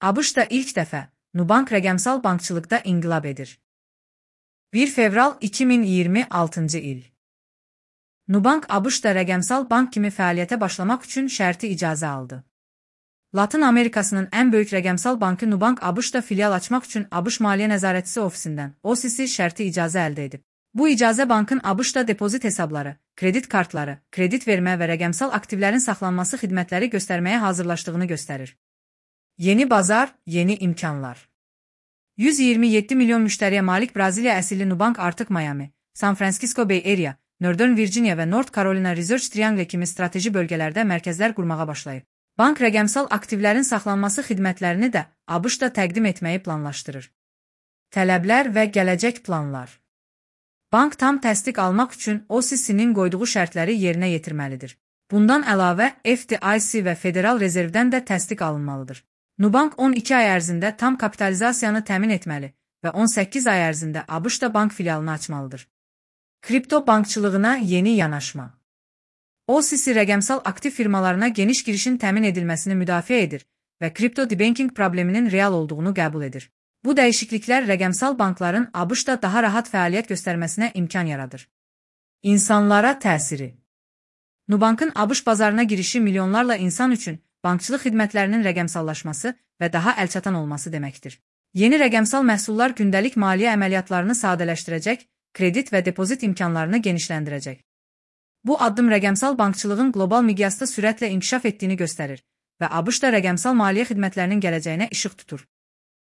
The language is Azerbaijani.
ABŞ-da ilk dəfə Nubank rəqəmsal bankçılıqda inqilab edir. 1 fevral 2026-cı il. Nubank ABŞ-da rəqəmsal bank kimi fəaliyyətə başlamaq üçün şərti icazə aldı. Latın Amerikasının ən böyük rəqəmsal bankı Nubank ABŞ-da filial açmaq üçün ABŞ Maliyyə Nəzarətçisi ofisindən OCC şərti icazə əldə edib. Bu icazə bankın ABŞ-da depozit hesabları, kredit kartları, kredit vermə və rəqəmsal aktivlərin saxlanması xidmətləri göstərməyə hazırlaşdığını göstərir. Yeni bazar, yeni imkanlar. 127 milyon müştəriyə malik Braziliya əsilli Nubank artıq Miami, San Francisco Bay Area, Northern Virginia və North Carolina Research Triangle kimi strateji bölgələrdə mərkəzlər qurmağa başlayıb. Bank rəqəmsal aktivlərin saxlanması xidmətlərini də ABŞ-da təqdim etməyi planlaşdırır. Tələblər və gələcək planlar. Bank tam təsdiq almaq üçün OCC-nin qoyduğu şərtləri yerinə yetirməlidir. Bundan əlavə, FDIC və Federal Rezervdən də təsdiq alınmalıdır. Nubank 12 ay ərzində tam kapitalizasiyanı təmin etməli və 18 ay ərzində ABŞ-da bank filialını açmalıdır. Kripto bankçılığına yeni yanaşma. OCC rəqəmsal aktiv firmalarına geniş girişin təmin edilməsini müdafiə edir və kripto debanking probleminin real olduğunu qəbul edir. Bu dəyişikliklər rəqəmsal bankların ABŞ-da daha rahat fəaliyyət göstərməsinə imkan yaradır. İnsanlara təsiri. Nubankın ABŞ bazarına girişi milyonlarla insan üçün bankçılıq xidmətlərinin rəqəmsallaşması və daha əlçatan olması deməkdir. Yeni rəqəmsal məhsullar gündəlik maliyyə əməliyyatlarını sadələşdirəcək, kredit və depozit imkanlarını genişləndirəcək. Bu addım rəqəmsal bankçılığın qlobal miqyasda sürətlə inkişaf etdiyini göstərir və ABŞ-da rəqəmsal maliyyə xidmətlərinin gələcəyinə işıq tutur.